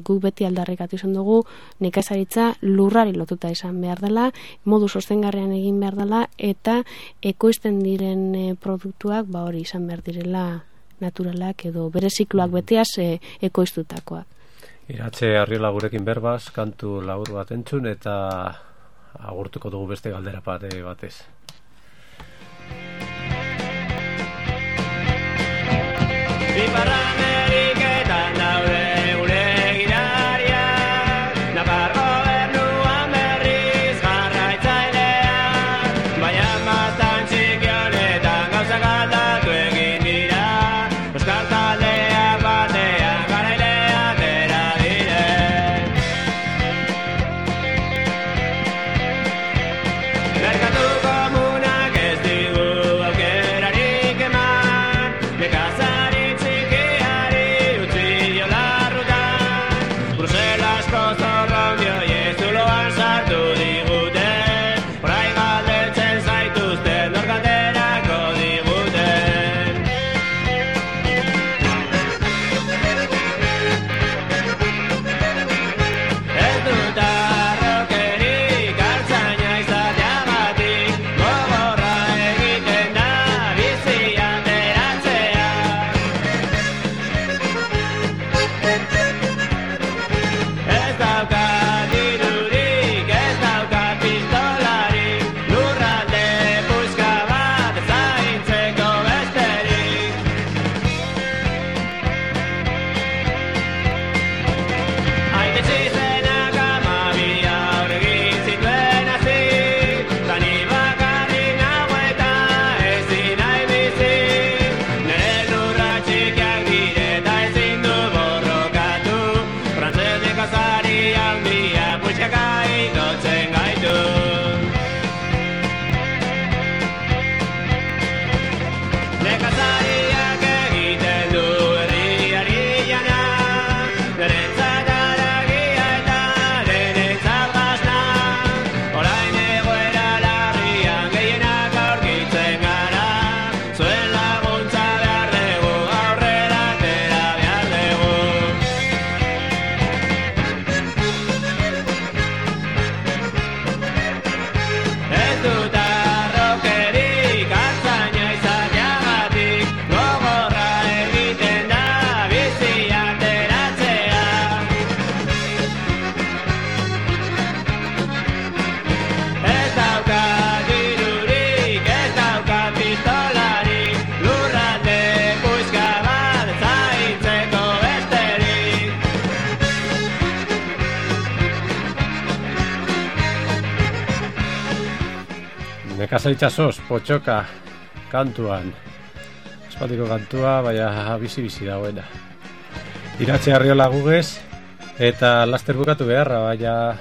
guk beti aldarrikatu izan dugu nekazaritza lurrari lotuta izan behar dela, modu sostengarrian egin behar dela eta ekoizten diren produktuak hori izan behar direla naturalak edo bere zikloak beteaz ekoiztutakoak. Iratxe Arriola gurekin berbaz, kantu labur bat entzun eta agurtuko dugu beste galdera batez. Nekazaritza potxoka kantuan. Espaldiko kantua, baina bizi dagoena. Iratxe Arriola gugez, eta laster bukatu beharra, baina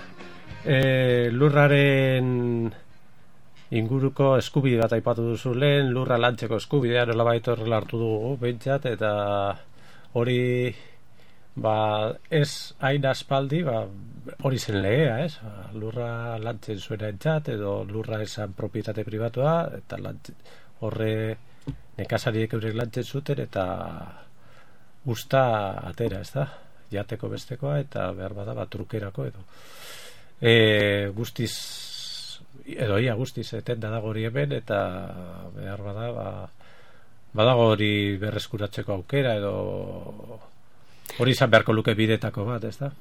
lurraren inguruko eskubide bat aipatu duzu lehen, lurra lantzeko eskubidea nolabait horrela hartu dugu behintzat, eta hori ez hain aspaldi, hori zen legea, lurra lantzen zuena entzat, edo lurra esan propietate pribatua, eta horre nekazariek eurek lantzen zuten, eta usta atera, ez da? Jateko bestekoa, eta behar bada trukerako, edo. Guztiz, edo ia guztiz, etenda dago hori hemen, eta behar badago hori berreskuratzeko aukera, edo hori izan beharko luke bidetako bat, ez da?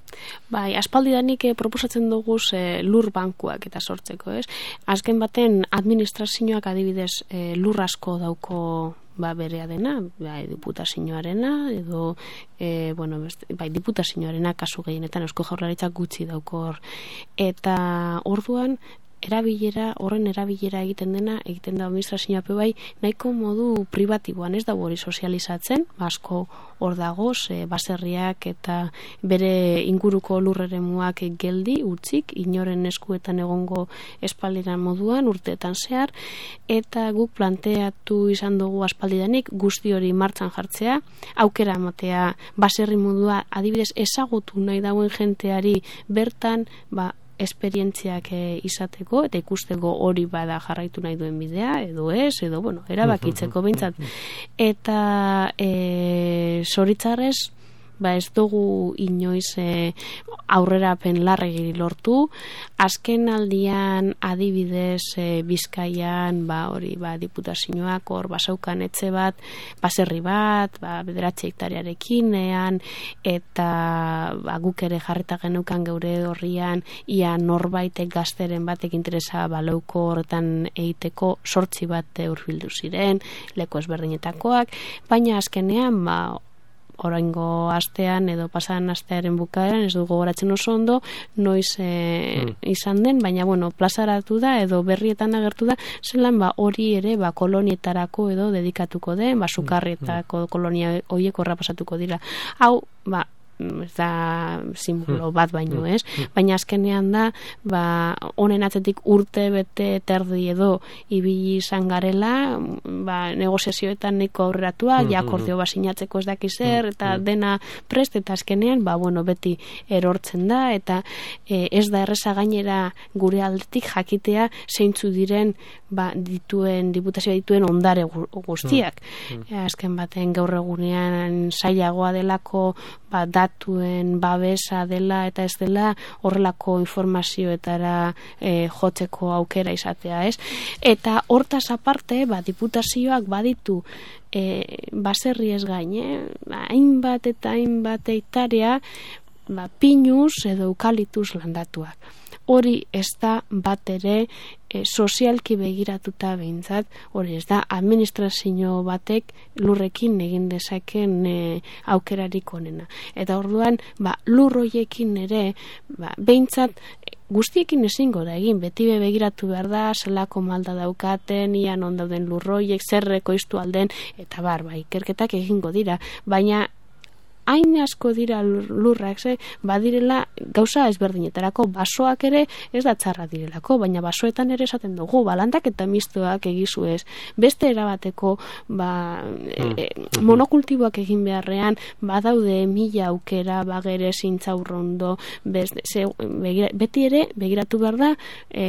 Bai, aspaldidanik proposatzen dugu lur bankuak eta sortzeko, ez? Azken baten administrazioak adibidez lur asko dauko berea dena, diputazioarena edo diputazioarena kasu gehienetan Eusko Jaurlaritzak gutxi daukor eta orduan horren erabilera egiten da administrazioa bai, nahiko modu pribatiboan, ez da hori sozializatzen, asko hor dagoz, baserriak eta bere inguruko lurreremuak geldi, utzik, inoren eskuetan egongo espaldiran moduan, urteetan zehar, eta guk planteatu izan dugu aspaldidanik guzti hori martxan jartzea, aukera ematea baserri modua adibidez ezagutu nahi dauen jenteari bertan, esperientziak izateko eta ikusteko hori bada jarraitu nahi duen bidea edo ez, edo erabakitzeko behintzat. Eta zoritzarrez ez dugu inoiz aurrerapen larregi lortu. Azken aldian adibidez Bizkaian diputazioak hor basaukan etxe bat, baserri bat, 9 hektarearekin eta guk ere jarrita geneukan geure horrian ia norbaitek gazteren batek interesa baleuko horretan egiteko 8 bat hurbildu ziren, leku ezberdinetakoak, baina azkenean oraingo astean edo pasadan astearen bukaeran ez dugu gogoratzen oso ondo noiz izan den, baina plazaratu da edo berrietan agertu da zelan hori ere kolonietarako edo dedikatuko den, sukarrietako kolonia horiek horra pasatuko dira. Hau, ez da simbolo bat baino, ez? Baina azkenean da, honen atzetik urte bete terdi edo ibili izan garela, negoziazioetan nahiko aurreratua, akordio sinatzeko ez dakiz zer, eta dena prest, eta azkenean, beti erortzen da, eta ez da erreza gainera gure aldetik jakitea zeintzu diren diputazioa dituen ondare guztiak. Azken baten gaur egunean zailagoa delako datuen babesa dela eta ez dela horrelako informazioetara jotzeko aukera izatea, ez? Eta hortaz aparte, diputazioak baditu baserri ez gain, hainbat eta hainbat hektarea pinuz edo eukalitus landatuak. Hori ez da bat ere sozialki begiratuta behintzat, hori ez da administrazio batek lurrekin egin dezaken aukerarik onena. Eta orduan, lur hoiekin ere, behintzat guztiekin ezingo da egin, beti begiratu behar da, zelako malda daukaten, ian ondauden lur hoiek, zerreko iztu alden, eta ikerketak egingo dira, baina hain asko dira lurrak, badirela gauza ezberdinetarako, basoak ere ez da txarra direlako, baina basoetan ere esaten dugu, landak eta mistoak egizu ez, beste erabateko monokultiboak egin beharrean, badaude 1000 aukera, bagere zintzaurrondo, beti ere begiratu behar da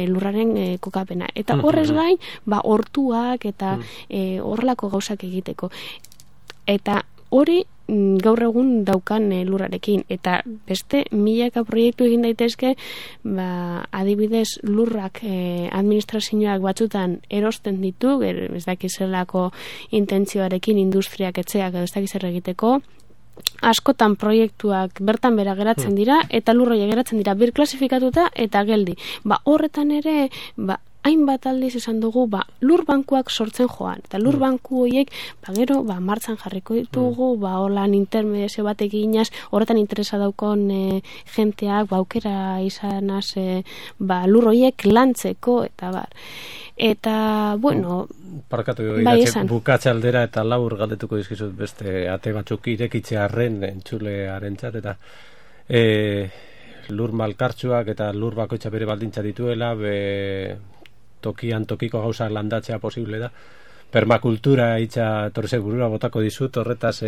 lurraren kokapena. Eta horrez gain, hortuak eta horrelako gauzak egiteko. Eta hori gaur egun daukan lurrarekin, eta beste milaka proiektu egin daitezke, adibidez lurrak administrazioak batzutan erosten ditu, ez dakizelako intentzioarekin industriak etxeak edo ez dakizer egiteko, askotan proiektuak bertan bera geratzen dira, eta lurroia geratzen dira birklasifikatuta eta geldi. Horretan ere, hainbat aldiz esan dugu, lur bankuak sortzen joan, eta lur banku horiek, gero, martxan jarriko ditugu, holan intermediazio bat eginaz, horretan interesa daukon jenteak, aukera izanaz, lur horiek lantzeko, eta Eta, parkatu bukatze aldera eta labur galdetuko dizkizut beste ate batzuk irekitzearren entzulearentzat, eta lur malkartsuak eta lur bakoitza bere baldintza dituela, tokian tokiko gauzak landatzea posible da. Permakultura hitza torzek burura botako dizut, horretaz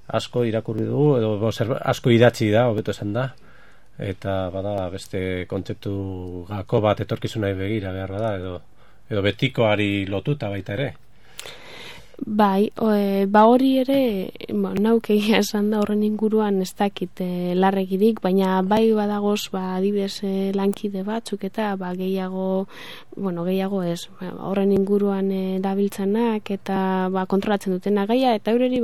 asko irakurri dugu, edo asko idatzi da, hobeto esan da, eta beste kontzeptu gako bat etorkizunari begira behar da, edo betikoari lotuta baita ere. Hori ere, nauk egia esan da horren inguruan ez dakit larregirik, baina badagoz adibidez lankide batzuk eta gehiago ez, horren inguruan dabiltzanak eta kontrolatzen dutena gaia, eta horreri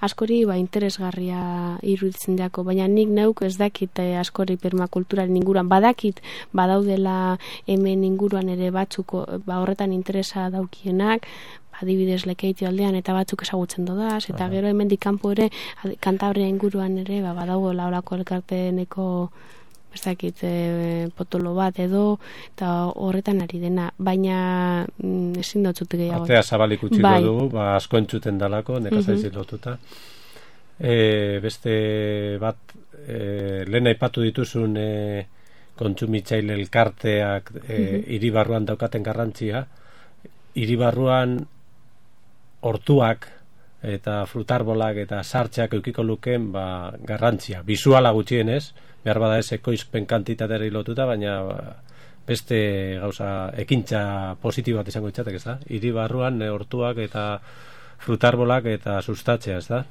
askori interesgarria iruditzen dako, baina nik nauk ez dakit askori permakulturaren inguruan, badakit badaudela hemen inguruan ere batzuko horretan interesa daukienak, adibidez Lekeitio aldean eta batzuk ezagutzen dodaz, eta gero hemendik kanpo ere Kantabria inguruan ere badago laurako elkarteeneko ez dakit, potolo bat edo, eta horretan ari dena, baina ezin dotzut gehiago. Atea zabalik utziko dugu, asko entzuten dalako, nekazaizik lotuta. Beste bat, lehen aipatu dituzun kontsumitzaile elkarteak hiri barruan daukaten garrantzia. Hiri barruan hortuak eta frutarbolak eta sartxeak eukiko lukeen garrantzia. Bisuala gutxienez, behar bada ez ekoizpen kantitateri lotuta, baina beste gauza ekintza positibo bat izango ditzatek, ez da? Hiri barruan hortuak eta frutarbolak eta sustatzea, ez da?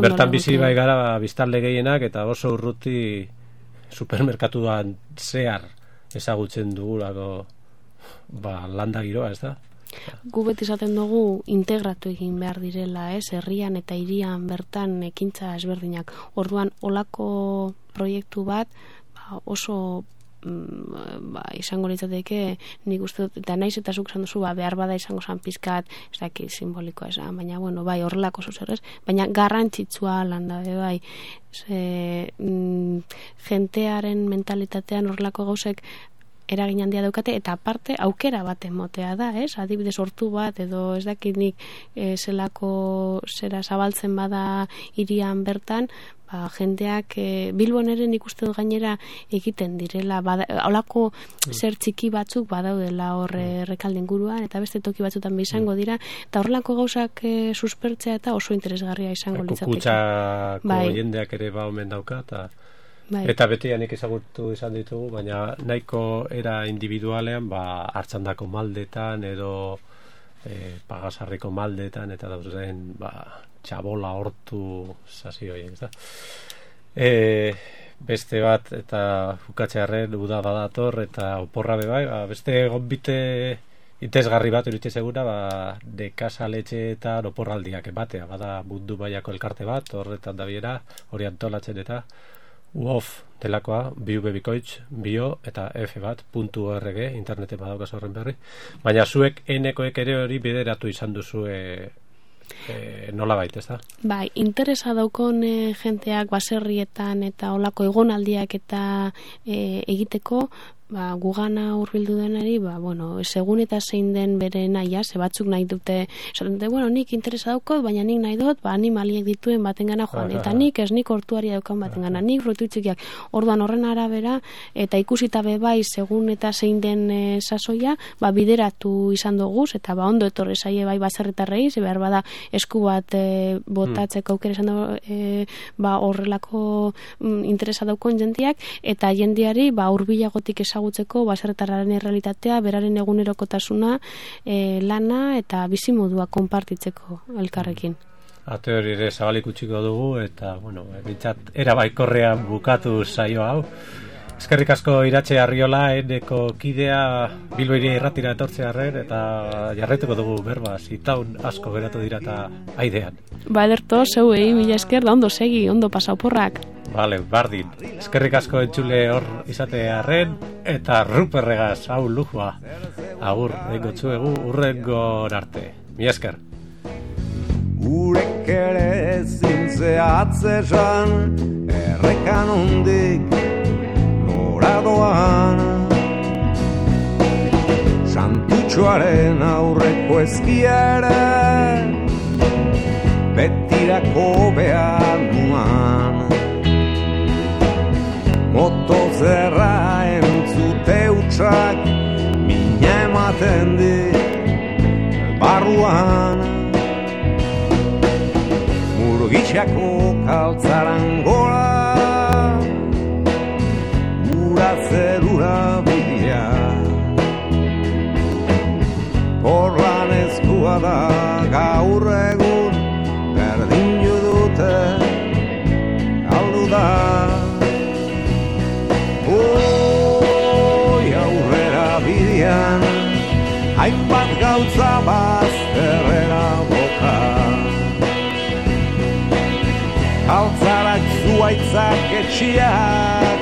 Bertan bizi bai gara biztanle gehienak eta oso urruti supermerkatuan zehar ezagutzen dugulako landa giroa, ez da? Gu beti izaten dugu integratu egin behar direla, herrian eta hirian bertan ekintza ezberdinak. Orduan, olako proiektu bat oso izango litzateke, nik uste dut, eta naiz eta zuk esan duzu, behar bada izango zan pizkat, ez daki simbolikoa esan, baina, bueno, bai, horrelako zuzerrez, baina garrantzitsua landa, bai, jentearen mentalitatean horrelako gauzek eragin handia daukate, eta aparte aukera bat emotea da, adibidez hortu bat, edo ez dakit nik zelako zera zabaltzen bada hirian bertan, jendeak Bilbon ere nik uste dut gainera egiten direla, holako zer txiki batzuk badaudela hor Rekalde inguruan, eta beste toki batzutan izango dira, eta horrelako gauzak suspertzea eta oso interesgarria izango litzateke. Kukutsako jendeak ere omen dauka, eta beti nik ezagutu izan ditugu, baina nahiko era individualean hartzandako maldetan edo pagasarriko maldetan eta dauzen txabola hortu sasi horiek, ez da? Beste bat eta bukatzearren uda badator eta oporra bebai, beste gonbite interesgarri bat iritsi segura, nekazaletxe eta oporraldiak batea, bada mundu mailako elkarte bat, horretan dabiera, hori antolatzen eta UOF delakoa, biubebikoitz, bio eta f.org, interneten badaukaz horren berri, baina zuek enekoek ere hori bideratu izan duzue nola baita, ez da? Bai, interesa daukon jenteak baserrietan eta olako egonaldiak eta egiteko, gugana hurbildu denari, segun eta zein den bere naia, batzuk nahi dute, nik interesa daukot, baina nik nahi dut, animaliek dituen batengana joan, eta nik hortuari daukan batengana, nik frutu txikiak, orduan horren arabera, eta ikusita bebai, segun eta zein den sasoia, bideratu izan duguz, eta ondo etorre zaie bai baserritarrei, behar bada esku bat botatzeko aukera izan dugu, horrelako interesa daukon jendiak, eta jendiari hurbilagotik ezagutzeko baserritarraren errealitatea, beraren egunerokotasuna, lana eta bizimodua konpartitzeko elkarrekin. Ate hori ere zabalik utziko dugu eta, bintzat, erabaikorrean bukatu saio hau. Eskerrik asko Iratxe Arriola, eneko kidea Bilbo Hiria Irratira etortzearren eta jarraituko dugu berba, zitaun asko geratu dira eta aidean. Ederto, zeuei, mila esker, da ondo segi, ondo pasa oporrak. Vale, bardin. Eskerrik asko entzule hor izatearren eta Ruperregaz, hau lujua. Agur, dengo txuegu, urrengo arte. Mila esker. Urek ere zintzea atzesan, errekan ondik noradoan. Santutxoaren aurreko ezkiere, betirako behar nuan. Motozerra entzute utxak, mina ematen dit barruan. Murgitxako kaltzaran gora, ura zerura bidea. Horlan eskua da gaur egun, berdin dute galdu da. Aurrera bidean, hainbat gauza bazterrera boka. Altzarak zuaitzak etxiak,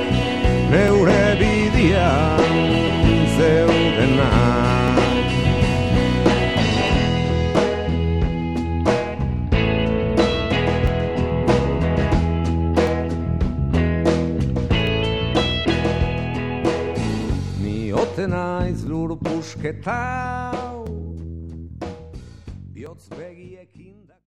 neure bidean zeudenak. Gazte naiz lur pusketau, bihotz begiekin